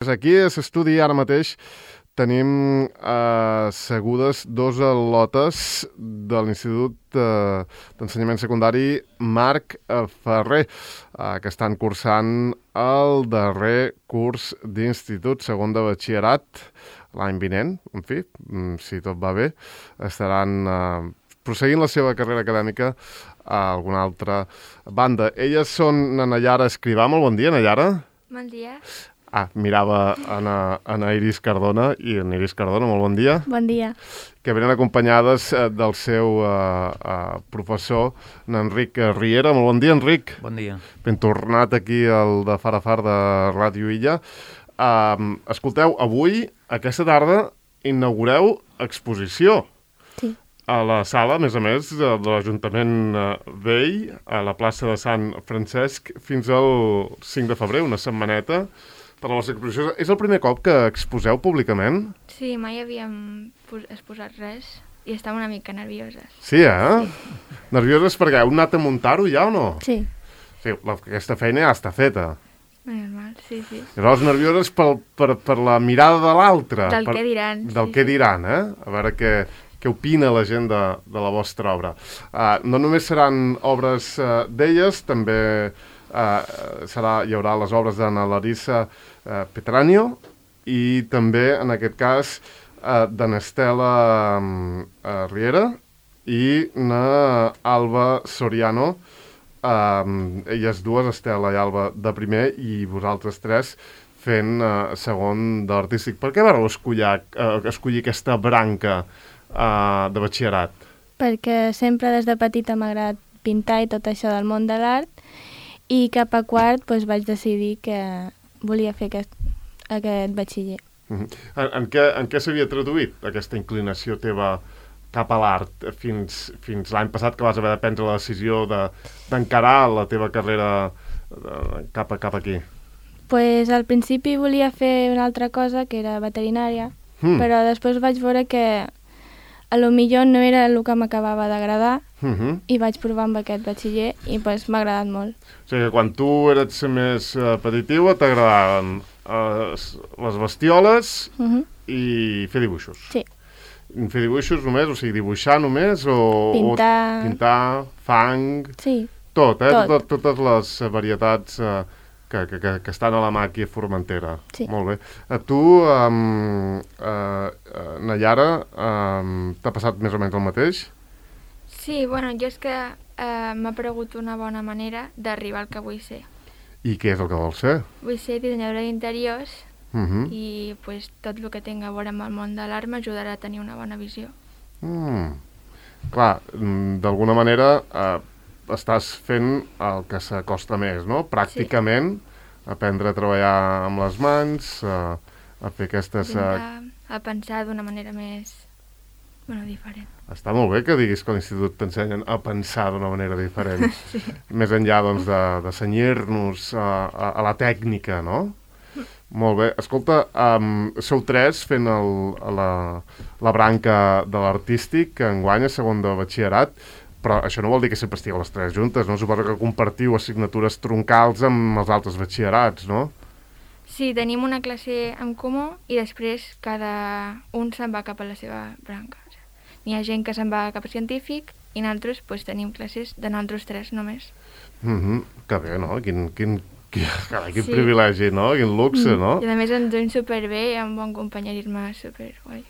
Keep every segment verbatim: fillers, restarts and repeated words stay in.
Aquí a l'estudi ara mateix tenim eh, segudes dos al·lotes de l'Institut eh, d'Ensenyament Secundari Marc Ferrer, eh, que estan cursant el darrer curs d'institut, segon de batxillerat, l'any vinent, en fi, si tot va bé, estaran eh, prosseguint la seva carrera acadèmica a alguna altra banda. Elles són na Nayara Escrivà. Molt bon dia, Nayara. Bon dia. Ah, mirava en, en Iris Cardona, i en Iris Cardona, molt bon dia. Bon dia. Que venen acompanyades eh, del seu eh, eh, professor, n'Enric Riera. Molt bon dia, Enric. Bon dia. Ben tornat aquí al de Far a Far de Ràdio Illa. Uh, escolteu, avui, aquesta tarda, inaugureu exposició. Sí. A la sala, a més a més, de, de l'Ajuntament Vell, a la plaça de Sant Francesc, fins al cinc de febrer, una setmaneta, per a les exposicions. És el primer cop que exposeu públicament? Sí, mai havíem exposat res i estàvem una mica nervioses. Sí, eh? Sí. Nervioses perquè heu anat a muntar-ho ja o no? Sí. Sí, la, aquesta feina ja està feta. Normal, sí, sí. I llavors nervioses per, per, per la mirada de l'altre. Del per, què diran. Del sí, què sí. diran, eh? A veure què, què opina la gent de, de la vostra obra. Uh, no només seran obres uh, d'elles, també uh, serà, hi haurà les obres d'Anna Larissa uh, Petranio i també, en aquest cas, uh, d'Anestela um, uh, Riera i na Alba Soriano. Um, elles dues, Estela i Alba, de primer, i vosaltres tres fent uh, segon d'artístic. Per què vareu escollir, uh, escollir aquesta branca uh, de batxillerat? Perquè sempre des de petita m'ha agradat pintar i tot això del món de l'art, i cap a quart doncs, vaig decidir que volia fer aquest, aquest batxiller. Uh-huh. En, en què, en què s'havia traduït aquesta inclinació teva cap a l'art fins, fins l'any passat, que vas haver de prendre la decisió de, d'encarar la teva carrera de, cap, a, cap aquí? Pues al principi volia fer una altra cosa, que era veterinària, mm. però després vaig veure que a lo millor no era el que m'acabava d'agradar, uh-huh. i vaig provar amb aquest batxiller i pues, m'ha agradat molt. O sigui que quan tu eres més uh, petitiva t'agradaven uh, les bestioles uh-huh. i fer dibuixos. Sí. Fer dibuixos només, o sigui, dibuixar només, o... Pintar... O pintar, fang... Sí. Tot, eh? Tot. Tot, totes les varietats eh, que, que, que estan a la màquia Formentera. Sí. Molt bé. A tu, um, uh, uh, Nayara, um, t'ha passat més o menys el mateix? Sí, bueno, jo és que uh, m'ha aparegut una bona manera d'arribar al que vull ser. I què és el que vols ser? Vull ser dissenyadora d'interiors, Uh-huh. i pues, tot el que tinga a veure amb el món de l'art m'ajudarà a tenir una bona visió. Mm. Clar, d'alguna manera eh, estàs fent el que s'acosta més, no? Pràcticament, sí. Aprendre a treballar amb les mans, a, a fer aquestes... A, a pensar d'una manera més, bueno, diferent. Està molt bé que diguis que a l'institut t'ensenyen a pensar d'una manera diferent. Sí. Més enllà, doncs, de, de cenyir-nos a, a, a la tècnica, no? Molt bé. Escolta, um, sou tres fent el, la, la branca de l'artístic, que enguany és segon de batxillerat, però això no vol dir que sempre estigueu les tres juntes, no? Suposo que compartiu assignatures troncals amb els altres batxillerats, no? Sí, tenim una classe en comú i després cada un se'n va cap a la seva branca. N'hi ha gent que se'n va cap a científic i nosaltres pues, tenim classes de nosaltres tres només. Mm-hmm. Que bé, no? Quin... quin... Carai, quin sí. privilegi, no? Quin luxe, no? I a més ens duim superbé i amb bon companyerisme superguai.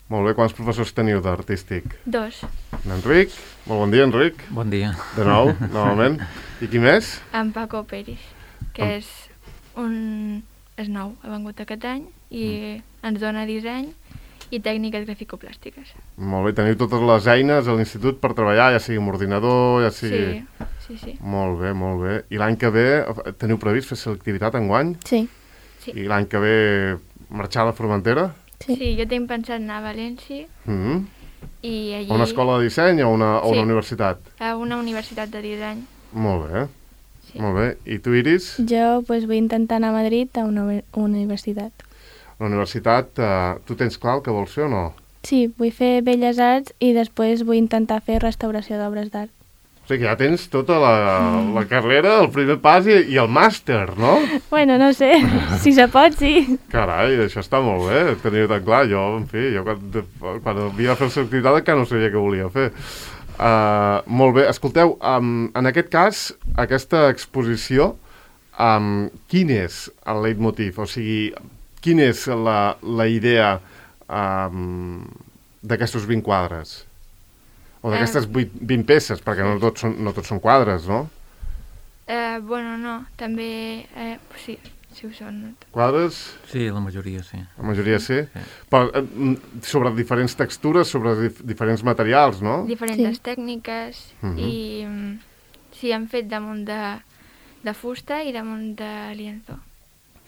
Molt bé, quants professors teniu d'artístic? Dos. Enric, molt bon dia, Enric. Bon dia. De nou, novament. I qui més? En Paco Pérez, que en... és un... és nou, ha vengut aquest any i mm. ens dona disseny i tècniques graficoplàstiques. Molt bé, teniu totes les eines a l'institut per treballar, ja sigui amb ordinador, ja sigui... Sí. Sí, sí. Molt bé, molt bé. I l'any que ve teniu previst fer selectivitat enguany? Sí. sí. I l'any que ve marxar a la Formentera? Sí, sí, jo tinc pensat anar a València mm-hmm. i allí... A una escola de disseny o una, sí. o una universitat? A una universitat de disseny. Molt bé, sí. molt bé. I tu, Iris? Jo pues, vull intentar anar a Madrid a una, una universitat. La universitat, eh, tu tens clar el que vols fer o no? Sí, vull fer Belles Arts i després vull intentar fer restauració d'obres d'art. O sigui que ja tens tota la, la carrera, el primer pas i, i el màster, no? Bueno, no sé, si se pot, sí. Carai, això està molt bé, tenir-ho tan clar. Jo, en fi, jo quan, quan havia de fer el certificat encara no sabia què volia fer. Uh, molt bé, escolteu, um, en aquest cas, aquesta exposició, um, quin és el leitmotiv? O sigui, quina és la, la idea um, d'aquestos vint quadres? O d'aquestes vint peces, perquè no tots són, no tots són quadres, no? Eh, bueno, no, també... Eh, sí, sí ho són. No? Quadres? Sí, la majoria sí. La majoria sí? sí. Però eh, sobre diferents textures, sobre dif diferents materials, no? Diferents sí. tècniques uh -huh. i sí, han fet damunt de, de fusta i damunt de lienzo.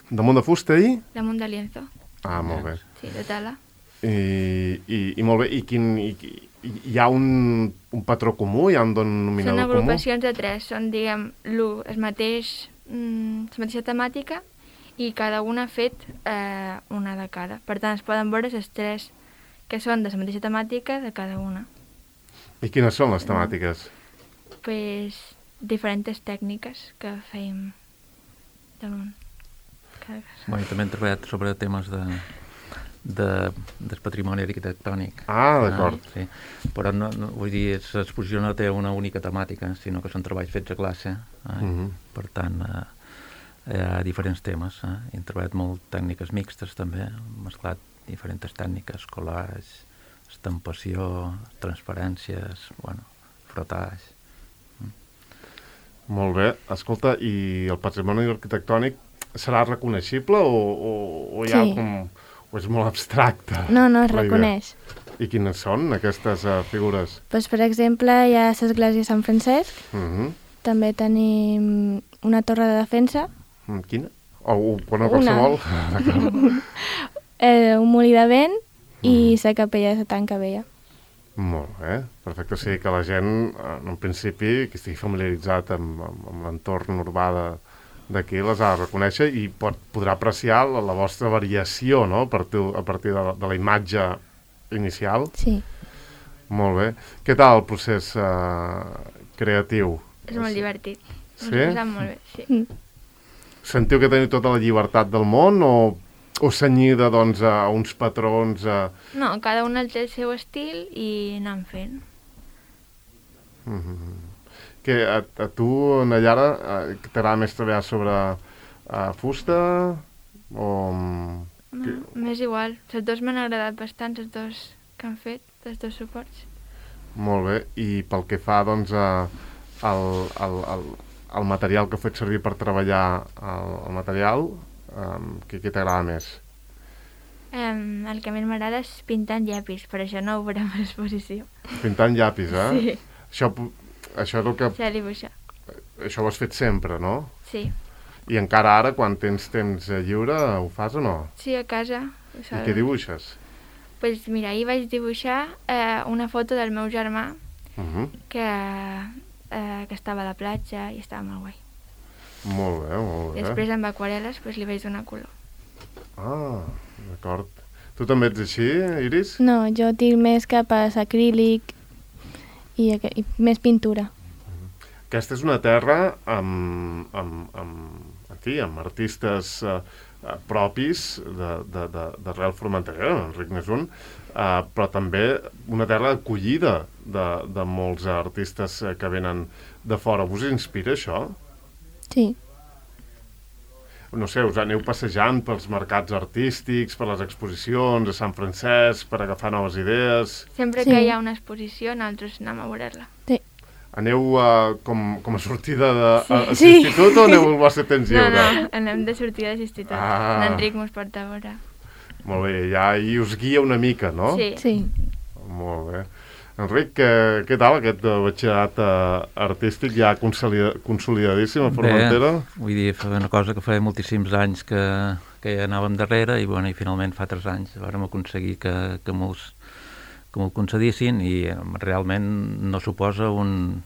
Damunt de fusta i? Damunt de lienzo. Ah, molt bé. Sí, de tela. I, i, i molt bé, i quin... I, hi ha un, un patró comú? Hi ha un denominador comú? Són agrupacions de tres, són, diguem, el mateix, mm, la mateixa temàtica i cada una ha fet eh, una de cada. Per tant, es poden veure les tres que són de la mateixa temàtica de cada una. I quines són les temàtiques? Pues diferents tècniques que fèiem damunt cada casa. Bueno, també hem treballat sobre temes de... De, del patrimoni arquitectònic. Ah, d'acord. Ah, sí. Però no, no, vull dir, l'exposició no té una única temàtica, sinó que són treballs fets a classe. Eh? Uh -huh. Per tant, eh, hi ha diferents temes. Eh? Hem treballat molt tècniques mixtes també, hem mesclat diferents tècniques, collage, estampació, transparències, bueno, frotage. Mm. Molt bé. Escolta, i el patrimoni arquitectònic serà reconeixible o, o, o hi ha sí. com... o és molt abstracte? No, no, es reconeix. I quines són aquestes uh, figures? Pues, per exemple, hi ha l'església de Sant Francesc, uh -huh. també tenim una torre de defensa. Mm, quina? O, o bueno, qualsevol? eh, un molí de vent i la capella de Santa Vella. Molt bé, perfecte. O sigui que la gent, en principi, que estigui familiaritzat amb, amb, amb l'entorn urbà de d'aquí les ha de reconèixer i pot, podrà apreciar la, la vostra variació, no?, a partir, a partir de, la, de la imatge inicial. Sí. Molt bé. Què tal el procés uh, creatiu? És molt divertit. Sí? Ens ho passem molt bé, sí. Mm. Sentiu que teniu tota la llibertat del món o, o cenyida, doncs, a uns patrons? A... No, cada un té el seu estil i anem fent. Mm-hmm. Que a, a tu, Nayara, t'agrada més treballar sobre uh, fusta o... No, que... m'és igual. Les dues m'han agradat bastant, les dues que han fet, els dos suports. Molt bé. I pel que fa, doncs, a, al, al, al, al material que heu fet servir per treballar el, el material, um, què, què t'agrada més? Um, el que més m'agrada és pintar en llapis, per això no ho veurem a l'exposició. Pintar en llapis, eh? Sí. Això... Això és el que... Sí, dibuixar. Això ho has fet sempre, no? Sí. I encara ara, quan tens temps lliure, ho fas o no? Sí, a casa. I què dibuixes? Doncs pues mira, ahir vaig dibuixar eh, una foto del meu germà uh -huh. que, eh, que estava a la platja i estava molt guai. Molt bé, molt bé. I després amb aquarel·les pues, li vaig donar color. Ah, d'acord. Tu també ets així, Iris? No, jo tinc més cap a l'acrílic I, i més pintura. Aquesta és una terra amb, amb, amb, en fi, amb artistes eh, propis d'arrel formentera, Enric n'és un, eh, però també una terra acollida de, de molts artistes que venen de fora. Us inspira això? Sí. No sé, us aneu passejant pels mercats artístics, per les exposicions a Sant Francesc, per agafar noves idees... Sempre sí. que hi ha una exposició, nosaltres anem a veure-la. Sí. Aneu uh, com, com a sortida de sí. a, a l'institut o aneu al vostre temps lliure? No, no, anem de sortida de l'institut. Ah. L'Enric mos porta a veure. Molt bé, ja hi us guia una mica, no? Sí. sí. Molt bé. Enric, què, què tal aquest batxillerat uh, artístic ja consolida, consolidadíssim a Formentera? Bé, vull dir, fa una cosa que fa moltíssims anys que, que ja anàvem darrere i, bueno, i finalment fa tres anys vàrem aconseguir que, que molts que m'ho concedissin i realment no suposa un,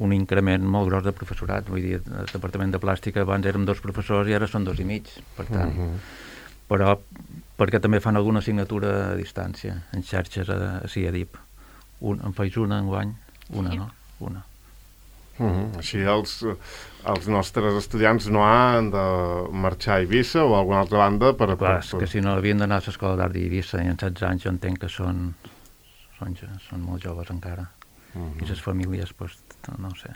un increment molt gros de professorat. Vull dir, el departament de plàstica abans érem dos professors i ara són dos i mig, per tant. Uh -huh. Però perquè també fan alguna assignatura a distància, en xarxes a, a C I A D I P. Un, en faig una enguany? Una, sí. No? Una. Uh -huh. Així els, els nostres estudiants no han de marxar a Eivissa o a alguna altra banda per... Clar, per... és que si no havien d'anar a l'escola d'art d'Eivissa i en setze anys jo entenc que són, són, són molt joves encara. Uh -huh. I les famílies, doncs, no ho sé,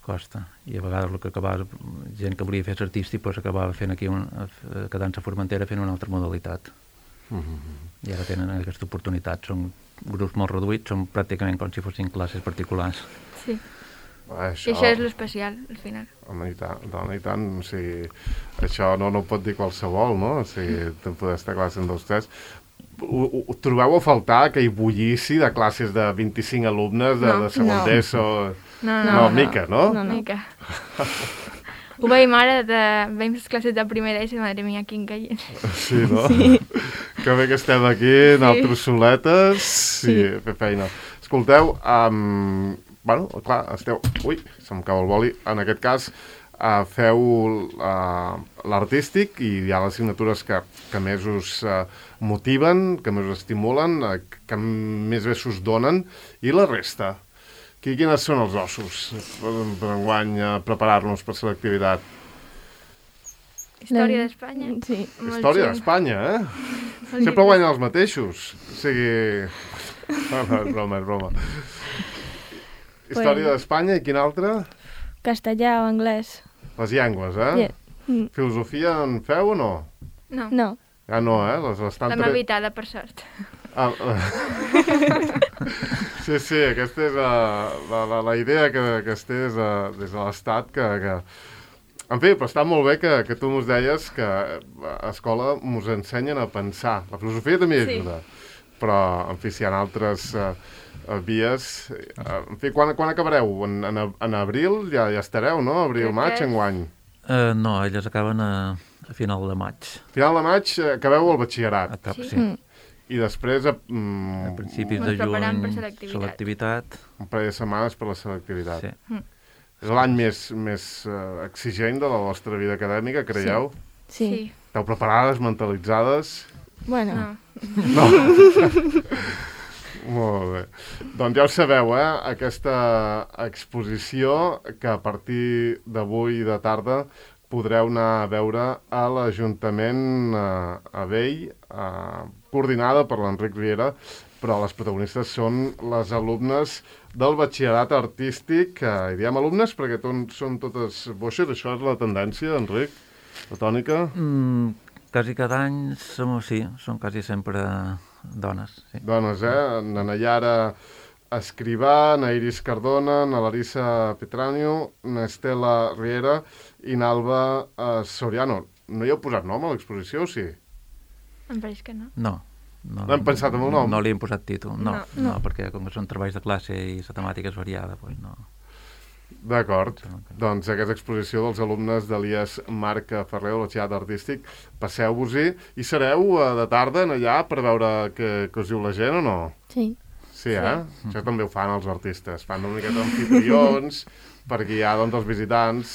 costa. I a vegades el que acabava, gent que volia fer artístic, doncs acabava fent aquí, un, quedant-se a Formentera fent una altra modalitat. Uh -huh. I ara tenen aquesta oportunitat. Són grups molt reduïts, són pràcticament com si fossin classes particulars. Sí. Ah, això... I això és l'especial, al final. Home, i tant, dona, i tant. O sigui, això no, no ho pot dir qualsevol, no? O sigui, te'n poder estar a classe en dos, tres. Ho, ho trobeu a faltar aquell bullici de classes de vint-i-cinc alumnes de, no, de segon no. d'ESO? No, no, no, no. mica, no? No, no. Mica. Ho veiem ara, de... veiem les classes de primer d'ESO i madre mia, quin caient. Sí, no? Sí. Que bé que estem aquí, Sí. nosaltres soletes, i sí. fer feina. Escolteu, um, bueno, clar, esteu... Ui, se'm cau el boli. En aquest cas, uh, feu uh, l'artístic i hi ha les assignatures que, que més us uh, motiven, que més us estimulen, uh, que més bé s'us donen, i la resta? Qui, quines són els ossos per, per enguany uh, preparar-nos per l'activitat? Història d'Espanya. Sí. Molt Història xungo. d'Espanya, eh? Molt Sempre llibre. guanyen els mateixos. O sigui... No, no, és broma, és broma. Història d'Espanya i quin altre? Castellà o anglès. Les llengües, eh? Yeah. Mm. Filosofia en feu o no? No, No. Ja no, eh? Les estan l'hem evitada, per sort. Ah, sí, sí, aquesta és uh, la, la, la idea que, que es té des de, des de l'Estat, que, que... En fi, però està molt bé que, que tu mos deies que a escola mos ensenyen a pensar. La filosofia també Sí. ajuda, però, en fi, si hi ha altres uh, vies... Uh, en fi, quan, quan acabareu? En, en, en abril ja, ja estareu, no? Abril, Crec maig, que- enguany. Uh, no, elles acaben a, a final de maig. Final de maig eh, acabeu el batxillerat. A cap, Sí. sí. Mm. I després, a, A mm, principis Ens de preparem per juny, selectivitat. selectivitat. un parell de setmanes per la selectivitat. Sí. És l'any més, més uh, exigent de la vostra vida acadèmica, creieu? Sí. Sí. Esteu preparades, mentalitzades? Bueno, No. No. Molt bé. Doncs ja ho sabeu, eh? Aquesta exposició que a partir d'avui de tarda podreu anar a veure a l'Ajuntament eh, a Vell, eh, coordinada per l'Enric Riera, però les protagonistes són les alumnes del batxillerat artístic, eh, i diem alumnes perquè ton, són totes boixes, això és la tendència, Enric, la tònica? Mm, quasi cada any som, sí, són quasi sempre dones. Sí. Dones, eh? Na Nayara Escrivà, na Iris Cardona, na Larissa Petranio, na Estela Riera i na Alba eh, Soriano. No hi heu posat nom a l'exposició, o sí? Em pareix que no. No. No, No hem pensat en el nom? No li hem posat títol, no, No. no, no, perquè com que són treballs de classe i la temàtica és variada, doncs no. D'acord. Sembla que no. Doncs aquesta exposició dels alumnes de l'I E S Marc Ferrer, del batxillerat artístic, passeu-vos-hi i sereu eh, de tarda en allà per veure què, què us diu la gent o no? sí. Sí, eh? Sí. Això també ho fan els artistes. Fan una miqueta d'amfitrions per guiar doncs, els visitants,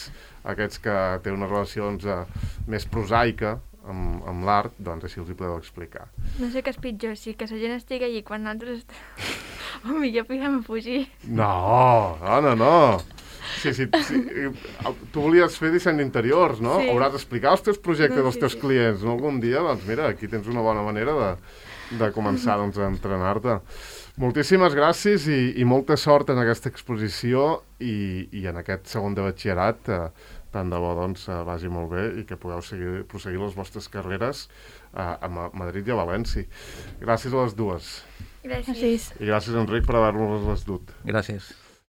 aquests que tenen una relació doncs, eh, més prosaica amb, amb l'art, doncs així els hi podeu explicar. No sé què és pitjor, si que la gent estigui allí quan nosaltres... O millor podem fugir. No, dona, no. Sí, sí, sí. Tu volies fer disseny d'interiors, no? Sí. Hauràs d'explicar els teus projectes No, als sí, teus sí. clients, no? Algun dia, doncs mira, aquí tens una bona manera de, de començar doncs, a entrenar-te. Moltíssimes gràcies i, i molta sort en aquesta exposició i, i en aquest segon de batxillerat. Eh, tant de bo doncs, eh, vagi molt bé i que pugueu seguir, proseguir les vostres carreres eh, a Ma- Madrid i a València. Gràcies a les dues. Gràcies. Gràcies. I gràcies, Enric, per haver-nos les dut. Gràcies.